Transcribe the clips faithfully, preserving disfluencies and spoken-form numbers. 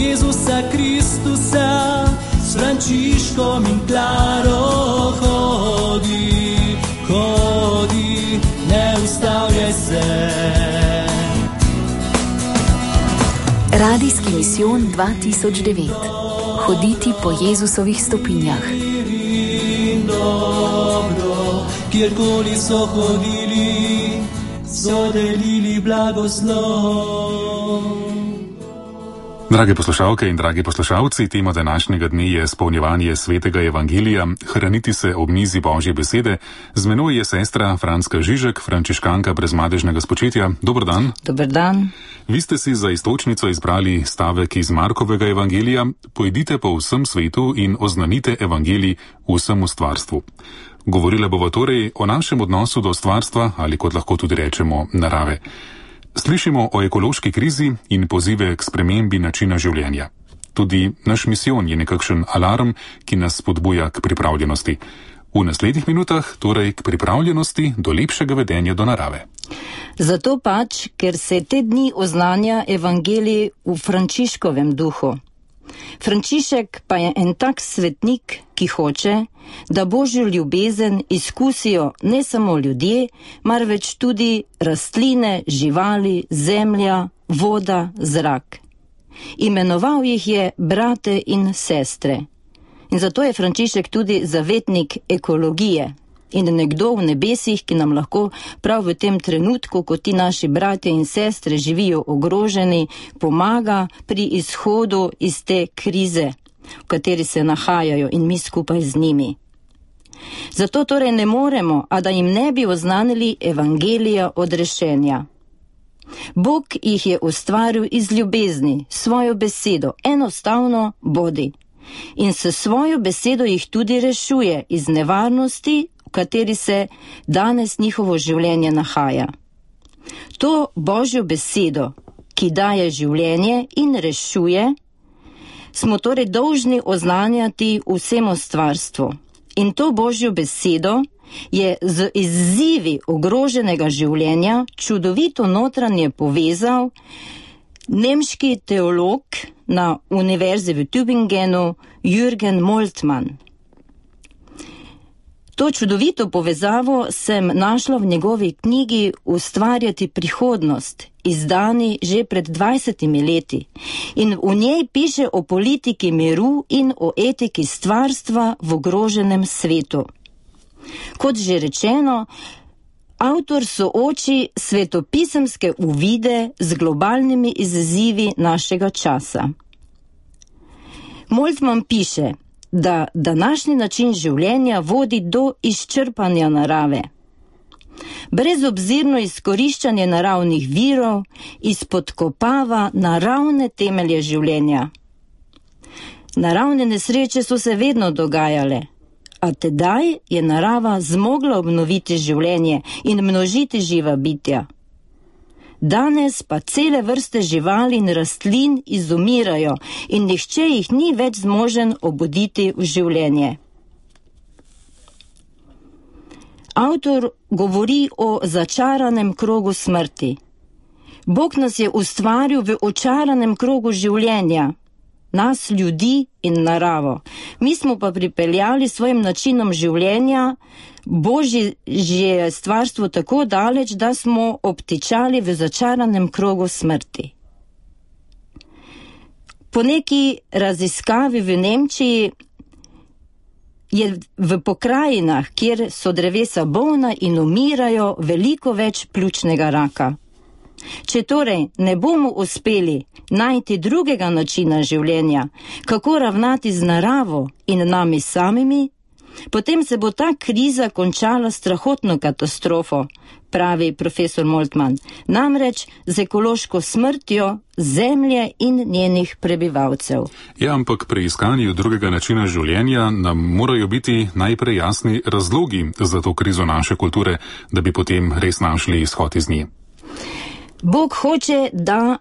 Jezusa Kristusa, s Frančiškom in Klaro hodi, hodi, ne ustavljaj se. Radijski misijon dva tisoč devet. Hoditi po Jezusovih stopinjah. Dobro, kjerkoli so hodili, so delili blagoslov. Drage poslušalke in dragi poslušalci, tema današnjega dne je spolnjevanje svetega evangelija, hraniti se ob mizi Božje besede. Z menoj je sestra Franska Žižek, frančiškanka brezmadežnega spočetja. Dober dan. Dober dan. Vi ste si za iztočnico izbrali stavek iz Markovega evangelija: pojdite po vsem svetu in oznanite evangelij vsemu stvarstvu. Govorila bova torej o našem odnosu do stvarstva, ali kot lahko tudi rečemo, narave. Slišimo o ekološki krizi in pozive k spremembi načina življenja. Tudi naš misijon je nekakšen alarm, ki nas spodbuja k pripravljenosti. V naslednjih minutah torej k pripravljenosti do lepšega vedenja do narave. Zato pač, ker se te dni oznanja evangelij v Frančiškovem duhu. Frančišek pa je en tak svetnik, ki hoče, da Božjo ljubezen izkusijo ne samo ljudje, marveč tudi rastline, živali, zemlja, voda, zrak. Imenoval jih je brate in sestre. In zato je Frančišek tudi zavetnik ekologije in nekdo v nebesih, ki nam lahko prav v tem trenutku, ko ti naši bratje in sestre živijo ogroženi, pomaga pri izhodu iz te krize, v kateri se nahajajo, in mi skupaj z njimi. Zato torej ne moremo, a da jim ne bi oznanili evangelija odrešenja. Bog jih je ustvaril iz ljubezni, svojo besedo, enostavno bodi. In s svojo besedo jih tudi rešuje iz nevarnosti, v kateri se danes njihovo življenje nahaja. To Božjo besedo, ki daje življenje in rešuje, smo torej dolžni oznanjati vsemu stvarstvu. In to Božjo besedo je z izzivi ogroženega življenja čudovito notranje povezal nemški teolog na univerzi v Tübingenu Jürgen Moltmann. To čudovito povezavo sem našla v njegovi knjigi Ustvarjati prihodnost, izdani že pred dvajsetimi leti. In v njej piše o politiki miru in o etiki stvarstva v ogroženem svetu. Kot že rečeno, avtor sooči svetopisemske uvide z globalnimi izzivi našega časa. Moltmann piše, da današnji način življenja vodi do izčrpanja narave. Brezobzirno izkoriščanje naravnih virov izpodkopava naravne temelje življenja. Naravne nesreče so se vedno dogajale, a tedaj je narava zmogla obnoviti življenje in množiti živa bitja. Danes pa cele vrste živali in rastlin izumirajo in nihče jih ni več zmožen obuditi v življenje. Avtor govori o začaranem krogu smrti. Bog nas je ustvaril v očaranem krogu življenja, nas, ljudi in naravo. Mi smo pa pripeljali svojim načinom življenja Božje stvarstvo tako daleč, da smo obtičali v začaranem krogu smrti. Po neki raziskavi v Nemčiji je v pokrajinah, kjer so drevesa bolna in umirajo, veliko več pljučnega raka. Če torej ne bomo uspeli najti drugega načina življenja, kako ravnati z naravo in nami samimi, potem se bo ta kriza končala strahotno katastrofo, pravi profesor Moltmann, namreč z ekološko smrtjo zemlje in njenih prebivalcev. Ja, ampak pri iskanju drugega načina življenja nam morajo biti najprej jasni razlogi za to krizo naše kulture, da bi potem res našli izhod iz nje. Bog hoče, da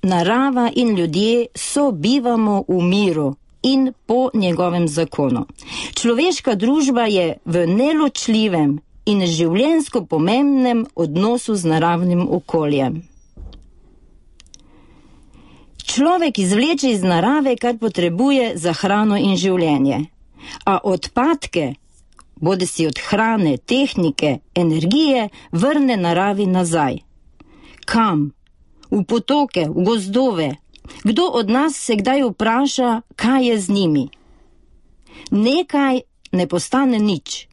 narava in ljudje sobivamo v miru in po njegovem zakonu. Človeška družba je v neločljivem in življenjsko pomembnem odnosu z naravnim okoljem. Človek izvleče iz narave, kar potrebuje za hrano in življenje, a odpadke, bodi si od hrane, tehnike, energije, vrne naravi nazaj. Kam? V potoke, v gozdove. Kdo od nas se kdaj vpraša, kaj je z njimi? Nekaj ne postane nič.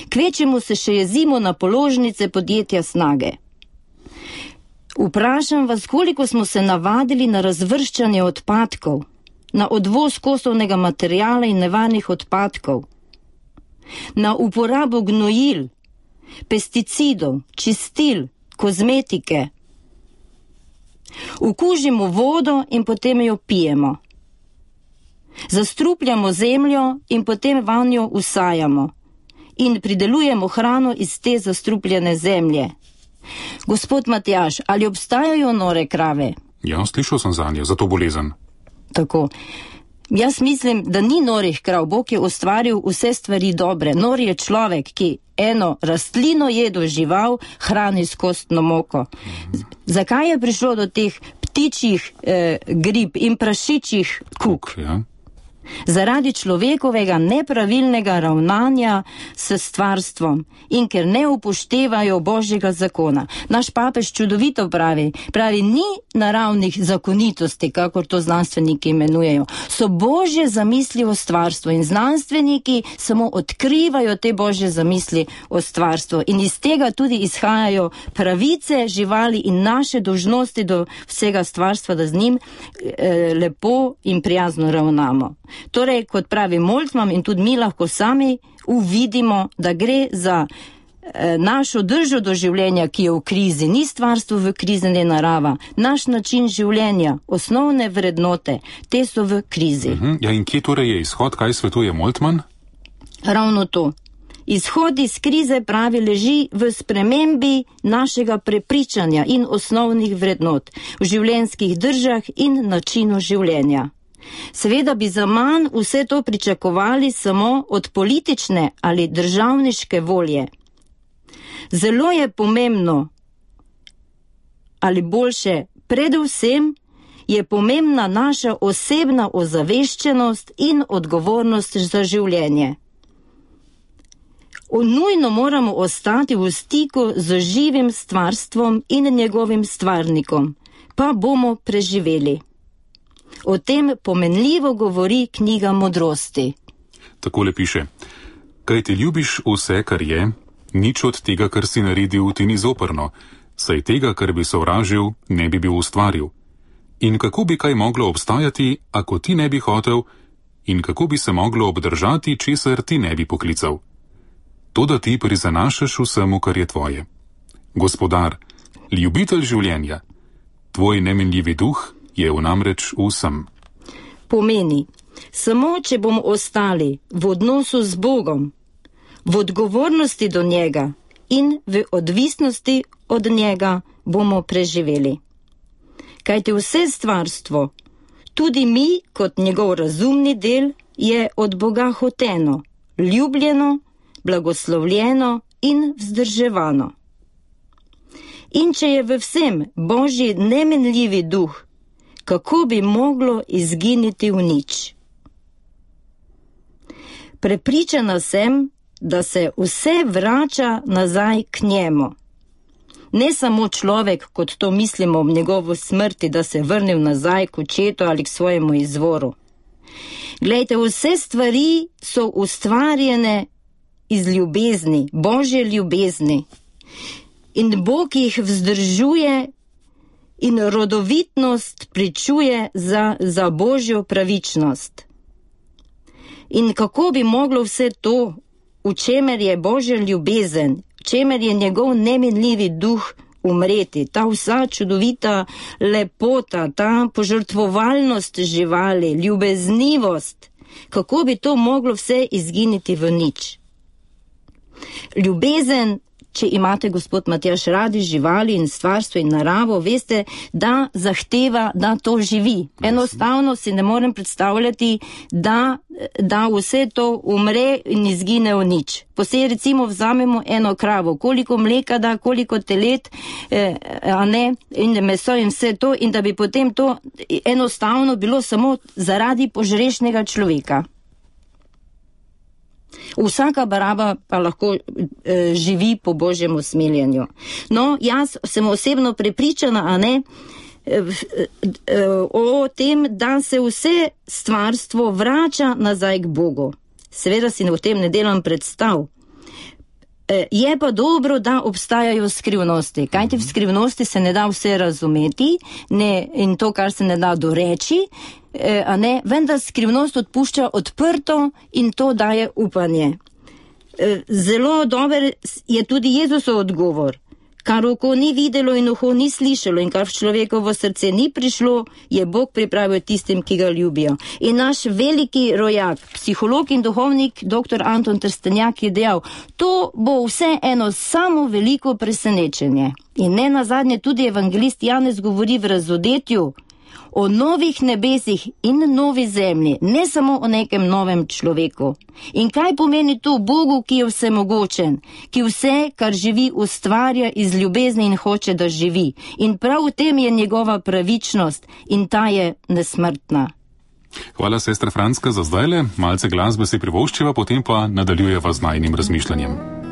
Kvečemu se še jezimo na položnice podjetja Snage. Vprašam vas, koliko smo se navadili na razvrščanje odpadkov, na odvoz kosovnega materijala in nevarnih odpadkov, na uporabo gnojil, pesticidov, čistil, kozmetike. Ukužimo vodo in potem jo pijemo. Zastrupljamo zemljo in potem vanjo usajamo in pridelujemo hrano iz te zastrupljene zemlje. Gospod Matjaž, ali obstajajo nore krave? Ja, slišal sem za nje, za to bolezen. Tako. Jaz mislim, da ni norih krav. Bog je ustvaril vse stvari dobre. Nor je človek, ki eno rastlino jedo žival, hrani s kostno moko. Z- zakaj je prišlo do teh ptičjih eh, grib in prašičjih kuk? Ja. Zaradi človekovega nepravilnega ravnanja s stvarstvom in ker ne upoštevajo Božjega zakona. Naš papež čudovito pravi, pravi, ni naravnih zakonitosti, kakor to znanstveniki imenujejo. So Božje zamisli o stvarstvu in znanstveniki samo odkrivajo te Božje zamisli o stvarstvu in iz tega tudi izhajajo pravice živali in naše dolžnosti do vsega stvarstva, da z njim eh, lepo in prijazno ravnamo. Torej, kot pravi Moltmann in tudi mi lahko sami uvidimo, da gre za eh, našo držo do življenja, ki je v krizi, ni stvarstvo v krizi, ne narava. Naš način življenja, osnovne vrednote, te so v krizi. Mhm. Ja, in kje torej je izhod, kaj svetuje Moltmann? Ravno to. Izhod iz krize, pravi, leži v spremembi našega prepričanja in osnovnih vrednot, v življenjskih držah in načinu življenja. Seveda bi zaman vse to pričakovali samo od politične ali državniške volje. Zelo je pomembno, ali boljše, predvsem je pomembna naša osebna ozaveščenost in odgovornost za življenje. Nujno moramo ostati v stiku z živim stvarstvom in njegovim stvarnikom, pa bomo preživeli. O tem pomenljivo govori knjiga Modrosti. Takole piše: Kaj ti ljubiš vse, kar je, nič od tega, kar si naredil, ti ni zoprno, saj tega, kar bi sovražil, ne bi bil ustvaril. In kako bi kaj moglo obstajati, ako ti ne bi hotel, in kako bi se moglo obdržati, česar ti ne bi poklical? To, da ti prizanašaš vsemu, kar je tvoje. Gospodar, ljubitelj življenja, tvoj nemenljivi duh je v namreč vsem. Pomeni, samo če bomo ostali v odnosu z Bogom, v odgovornosti do njega in v odvisnosti od njega, bomo preživeli. Kajti vse stvarstvo, tudi mi kot njegov razumni del, je od Boga hoteno, ljubljeno, blagoslovljeno in vzdrževano. In če je v vsem Božji nemenljivi duh, kako bi moglo izginiti v nič? Prepričana sem, da se vse vrača nazaj k njemu. Ne samo človek, kot to mislimo ob njegovo smrti, da se je vrnil nazaj k očetu ali k svojemu izvoru. Glejte, vse stvari so ustvarjene iz ljubezni, Božje ljubezni. In Bog jih vzdržuje in rodovitnost pričuje za, za Božjo pravičnost. In kako bi moglo vse to, v čemer je Božja ljubezen, v čemer je njegov neminljivi duh, umreti, ta vsa čudovita lepota, ta požrtvovalnost živali, ljubeznivost, kako bi to moglo vse izginiti v nič? Ljubezen če imate, gospod Matjaž, radi živali in stvarstvo in naravo, veste, da zahteva, da to živi. Enostavno si ne morem predstavljati, da, da vse to umre in izgine v nič. Posebej recimo vzamemo eno kravo, koliko mleka da, koliko telet, eh, a ne, in meso in vse to, in da bi potem to enostavno bilo samo zaradi požrešnega človeka. Vsaka baraba pa lahko e, živi po Božjem usmiljenju. No, jaz sem osebno prepričana, a ne, e, e, o tem, da se vse stvarstvo vrača nazaj k Bogu. Seveda si o tem ne delam predstav. E, je pa dobro, da obstajajo skrivnosti. Kajti v skrivnosti se ne da vse razumeti, ne, in to, kar se ne da doreči, a ne, vendar skrivnost odpušča odprto in to daje upanje. Zelo dober je tudi Jezusov odgovor. Kar oko ni videlo in uho ni slišalo in kar v človekovo srce ni prišlo, je Bog pripravil tistim, ki ga ljubijo. In naš veliki rojak, psiholog in duhovnik doktor Anton Trstenjak je dejal, to bo vse eno samo veliko presenečenje. In ne nazadnje tudi evangelist Janez govori v razodetju o novih nebesih in novi zemlji, ne samo o nekem novem človeku. In kaj pomeni to Bogu, ki je vsemogočen, ki vse, kar živi, ustvarja iz ljubezni in hoče, da živi. In prav v tem je njegova pravičnost in ta je nesmrtna. Hvala, sestra Franska, za zdajle. Malce glasbe si privoščiva, potem pa nadaljujeva z najnim razmišljanjem.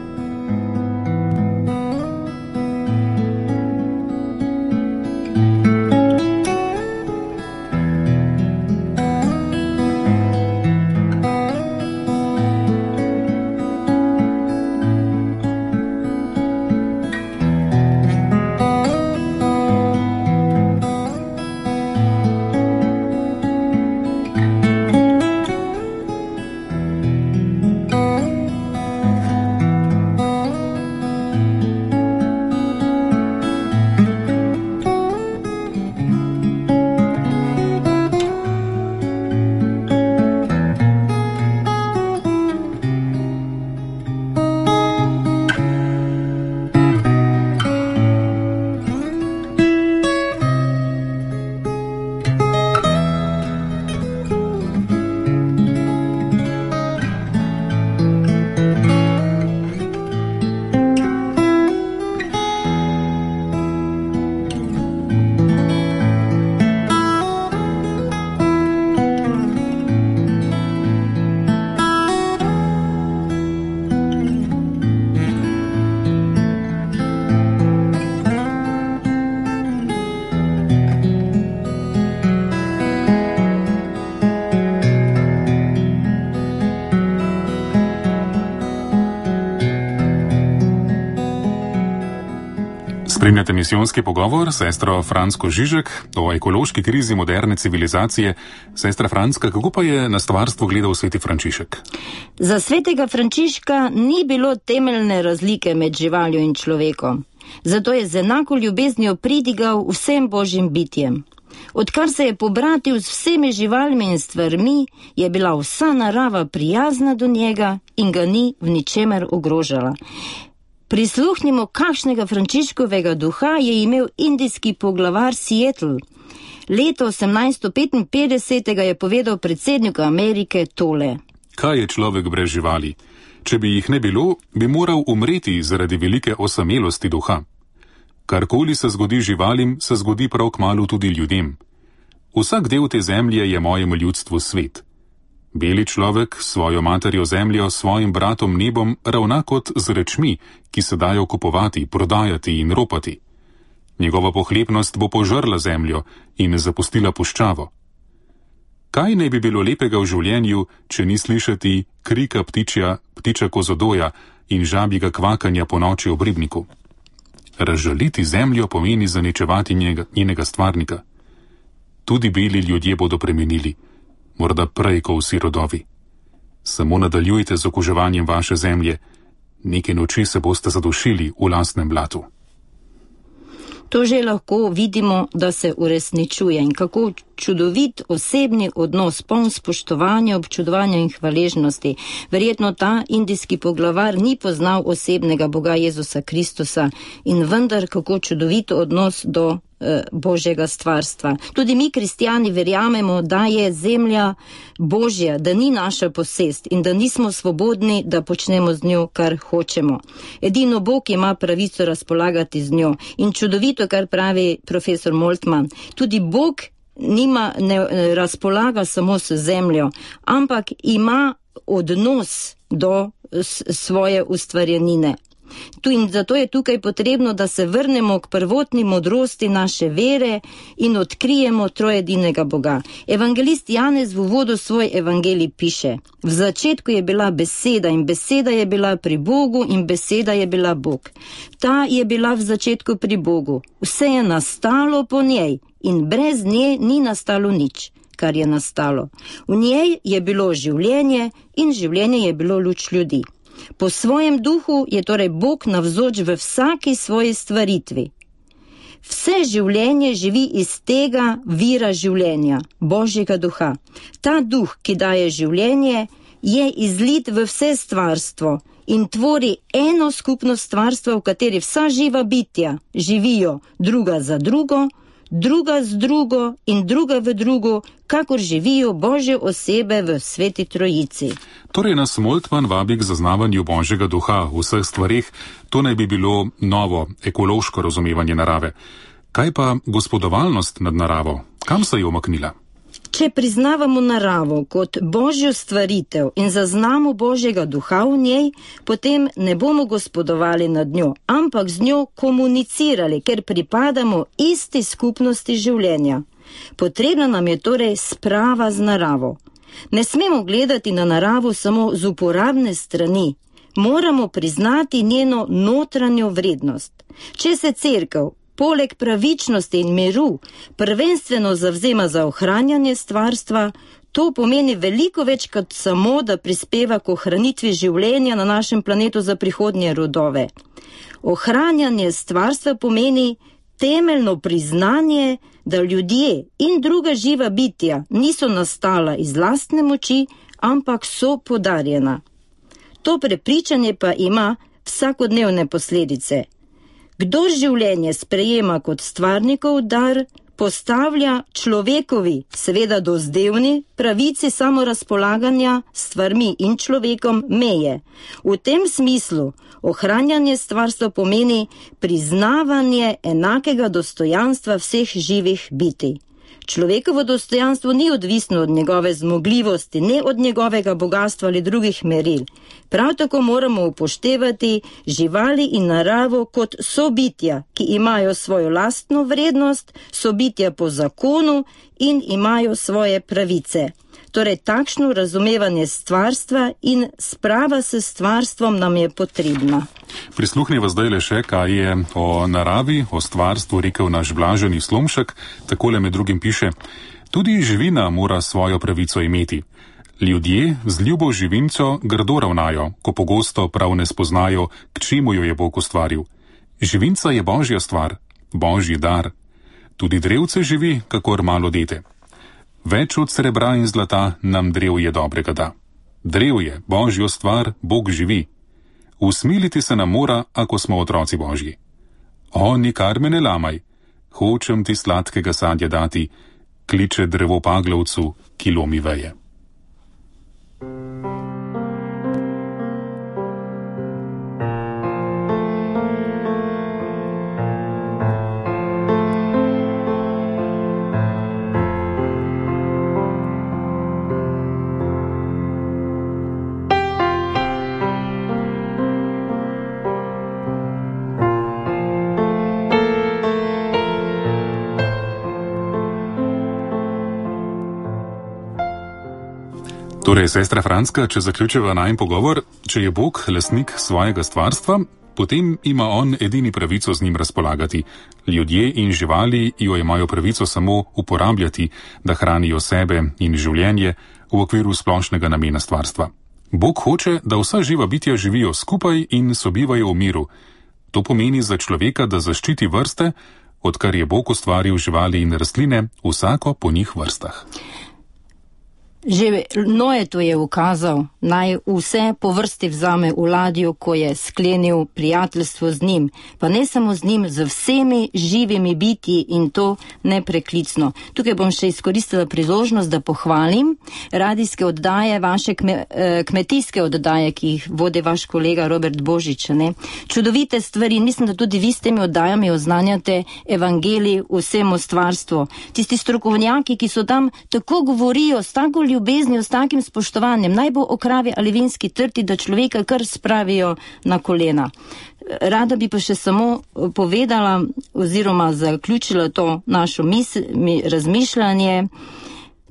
Spremljate misijonski pogovor s sestro Fransko Žižek o ekološki krizi moderne civilizacije. Sestra Franska, kako pa je na stvarstvo gledal sveti Frančišek? Za svetega Frančiška ni bilo temeljne razlike med živaljo in človekom. Zato je z enako ljubeznijo pridigal vsem božjim bitjem. Odkar se je pobratil z vsemi živalmi in stvarmi, je bila vsa narava prijazna do njega in ga ni v ničemer ogrožala. Prisluhnimo, kakšnega Frančiškovega duha je imel indijski poglavar Seattle. Leta osemnajststo petinpetdeset je povedal predsedniku Amerike tole. Kaj je človek brez živali? Če bi jih ne bilo, bi moral umreti zaradi velike osamelosti duha. Karkoli se zgodi živalim, se zgodi prav kmalu tudi ljudem. Vsak del te zemlje je mojemu ljudstvu svet. Beli človek s svojo materjo zemljo, svojim bratom nebom ravna kot z rečmi, ki se dajo kupovati, prodajati in ropati. Njegova pohlepnost bo požrla zemljo in zapustila puščavo. Kaj ne bi bilo lepega v življenju, če ni slišati krika ptičja, ptiča kozodoja in žabjega kvakanja po noči ob ribniku? Razžaliti zemljo pomeni zaničevati njega, njenega stvarnika. Tudi beli ljudje bodo premenili, morda prej, ko vsi rodovi. Samo nadaljujte z okuževanjem vaše zemlje, neke noči se boste zadušili v lastnem blatu. To že lahko vidimo, da se uresničuje in kako čudovit osebni odnos, poln spoštovanja, občudovanja in hvaležnosti. Verjetno ta indijski poglavar ni poznal osebnega Boga Jezusa Kristusa in vendar kako čudovit odnos do Božjega stvarstva. Tudi mi, kristijani, verjamemo, da je zemlja Božja, da ni naša posest in da nismo svobodni, da počnemo z njo, kar hočemo. Edino Bog ima pravico razpolagati z njo. In čudovito, kar pravi profesor Moltmann, tudi Bog nima, ne razpolaga samo s zemljo, ampak ima odnos do svoje ustvarjenine. Tu in zato je tukaj potrebno, da se vrnemo k prvotni modrosti naše vere in odkrijemo trojedinega Boga. Evangelist Janez v uvodu svoj evangelij piše: v začetku je bila beseda in beseda je bila pri Bogu in beseda je bila Bog. Ta je bila v začetku pri Bogu. Vse je nastalo po njej in brez nje ni nastalo nič, kar je nastalo. V njej je bilo življenje in življenje je bilo luč ljudi. Po svojem duhu je torej Bog navzoč v vsaki svoji stvaritvi. Vse življenje živi iz tega vira življenja, Božjega duha. Ta duh, ki daje življenje, je izlit v vse stvarstvo in tvori eno skupno stvarstvo, v kateri vsa živa bitja živijo druga za drugo, druga z drugo in druga v drugo, kakor živijo Božje osebe v Sveti Trojici. Torej nas Moltmann vabi k zaznavanju Božjega duha v vseh stvareh, to naj bi bilo novo ekološko razumevanje narave. Kaj pa gospodovalnost nad naravo? Kam se je umaknila? Če priznavamo naravo kot Božjo stvaritev in zaznamo Božjega duha v njej, potem ne bomo gospodovali nad njo, ampak z njo komunicirali, ker pripadamo isti skupnosti življenja. Potrebna nam je torej sprava z naravo. Ne smemo gledati na naravo samo z uporabne strani, moramo priznati njeno notranjo vrednost. Če se cerkev poleg pravičnosti in miru prvenstveno zavzema za ohranjanje stvarstva, to pomeni veliko več kot samo, da prispeva k ohranitvi življenja na našem planetu za prihodnje rodove. Ohranjanje stvarstva pomeni temeljno priznanje, da ljudje in druga živa bitja niso nastala iz lastne moči, ampak so podarjena. To prepričanje pa ima vsakodnevne posledice. Kdor življenje sprejema kot stvarnikov dar, postavlja človekovi, seveda dozdevni, pravici samorazpolaganja s stvarmi in človekom meje. V tem smislu ohranjanje stvarstva pomeni priznavanje enakega dostojanstva vseh živih bitij. Človekovo dostojanstvo ni odvisno od njegove zmogljivosti, ne od njegovega bogatstva ali drugih meril. Prav tako moramo upoštevati živali in naravo kot sobitja, ki imajo svojo lastno vrednost, sobitja po zakonu in imajo svoje pravice. Torej, takšno razumevanje stvarstva in sprava s stvarstvom nam je potrebna. Prisluhneva zdaj le še, kaj je o naravi, o stvarstvu rekel naš Blaženi Slomšek. Takole med drugim piše: tudi živina mora svojo pravico imeti. Ljudje z ljubo živinco grdo ravnajo, ko pogosto prav ne spoznajo, k čemu jo je Bog ustvaril. Živinca je Božja stvar, Božji dar. Tudi drevce živi, kakor malo dete. Več od srebra in zlata nam drevje dobrega da. Drevje, Božjo stvar, Bog živi. Usmiliti se nam mora, ako smo otroci Božji. O, nikar me ne lamaj, hočem ti sladkega sadja dati, kliče drevo paglavcu, ki lomi veje. Torej, sestra Franska, če zaključiva najin pogovor, če je Bog lastnik svojega stvarstva, potem ima on edini pravico z njim razpolagati. Ljudje in živali jo imajo pravico samo uporabljati, da hranijo sebe in življenje v okviru splošnega namena stvarstva. Bog hoče, da vsa živa bitja živijo skupaj in sobivajo v miru. To pomeni za človeka, da zaščiti vrste, odkar je Bog ustvaril živali in rastline, vsako po njih vrstah. Že Noe to je ukazal, naj vse po vrsti vzame v ladjo, ko je sklenil prijateljstvo z njim, pa ne samo z njim, z vsemi živimi bitji in to nepreklicno. Tukaj bom še izkoristila priložnost, da pohvalim radijske oddaje, vaše kme, kmetijske oddaje, ki jih vodi vaš kolega Robert Božič. Ne? Čudovite stvari, mislim, da tudi vi s temi oddajami oznanjate evangelij vsemu stvarstvu. Tisti strokovnjaki, ki so tam tako govorijo, s tako ljubeznijo, s takim spoštovanjem, naj bo o kravi ali vinski trti, da človeka kar spravijo na kolena. Rada bi pa še samo povedala oziroma zaključila to našo misl, razmišljanje,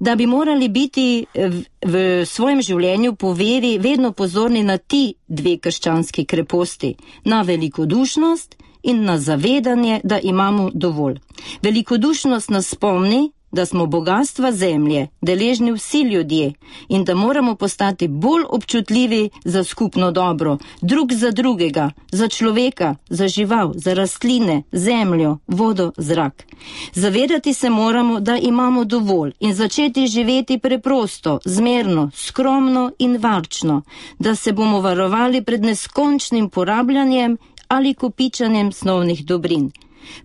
da bi morali biti v, v svojem življenju po veri vedno pozorni na ti dve krščanski kreposti, na velikodušnost in na zavedanje, da imamo dovolj. Velikodušnost nas spomni, da smo bogatstva zemlje deležni vsi ljudje in da moramo postati bolj občutljivi za skupno dobro, drug za drugega, za človeka, za žival, za rastline, zemljo, vodo, zrak. Zavedati se moramo, da imamo dovolj in začeti živeti preprosto, zmerno, skromno in varčno, da se bomo varovali pred neskončnim porabljanjem ali kopičanjem snovnih dobrin.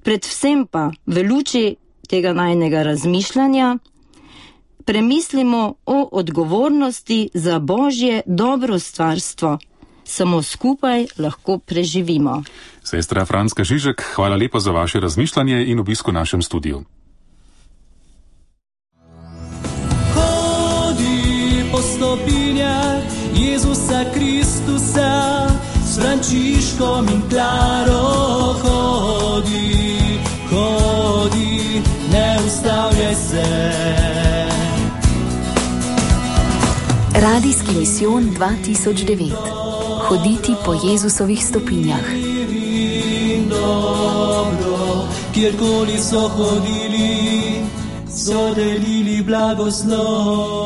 Predvsem pa v luči tega najnega razmišljanja premislimo o odgovornosti za Božje dobro stvarstvo. Samo skupaj lahko preživimo. Sestra Franska Žižek, hvala lepa za vaše razmišljanje in obisko v našem studiu. Hodi po stopinjah Jezusa Kristusa, s Frančiškom in Klaro hodi, hodi, ne ustavljaj se. Radijski misijon dva tisoč devet. Hoditi po Jezusovih stopinjah. Dobro, kjerkoli so hodili, so delili blagoslov.